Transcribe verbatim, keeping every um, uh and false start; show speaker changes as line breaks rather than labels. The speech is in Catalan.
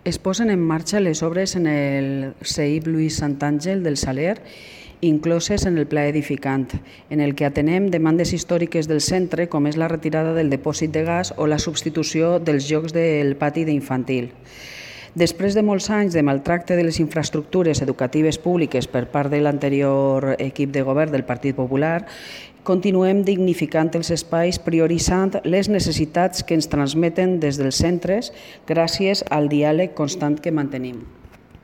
Es posen en marxa les obres en el C I P Lluís Santàngel del Saler, incloses en el pla edificant, en el que atenem demandes històriques del centre, com és la retirada del dipòsit de gas o la substitució dels jocs del pati d'infantil. Després de molts anys de maltracte de les infraestructures educatives públiques per part de l'anterior equip de govern del Partit Popular, continuem dignificant els espais prioritzant les necessitats que ens transmeten des dels centres gràcies al diàleg constant que mantenim.